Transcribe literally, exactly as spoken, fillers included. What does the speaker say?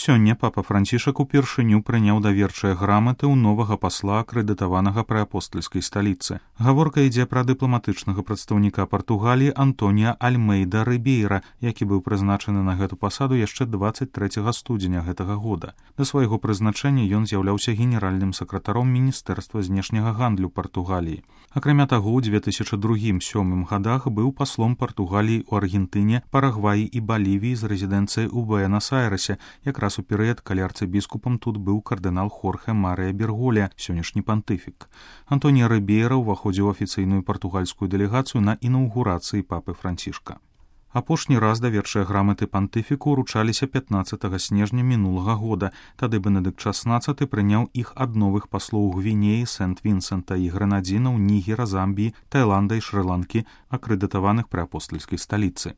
Сёння папа Францішак упершыню прыняў даверчыя граматы ў новага пасла, акрэдытаванага пры апостальскай сталіцы. Гаворка ідзе пра дыпламатычнага прадстаўніка Партугаліі Антонія Альмейда Рыбейра, які быў прызначаны на гэту пасаду яшчэ дваццаць трэцяга студзеня гэтага года. Да свайго прызначэння ён з'яўляўся генеральным сакратаром Міністэрства знешняга гандлю Партугаліі. Акрамя таго, ў две тысячы другім-сёмым гадах быў паслом Партугаліі ў Аргентыне, Парагваі і Балівіі з рэзідэнцыяй у Буэнас-Айрэсе, якраз у перыяд, калі арцыбіскупам тут быў кардынал Хорхе Марыя Берголя, сённяшні пантыфік. Антонія Рыбейра ўваходзіў у афіцыйную партугальскую дэлегацыю на інаўгурацыі папы Францішка. Апошні раз даверчыя граматы пантыфіку ўручаліся пятнаццатага снежня мінулага года. Тады Бенедыкт шаснаццаты прыняў іх ад новых паслоў Гвінеі, Сент-Вінсента і Грэнадзінаў, Нігера, Замбіі, Таіланда і Шры-Ланкі, акрэдытаваных пры апостальскай сталіцы.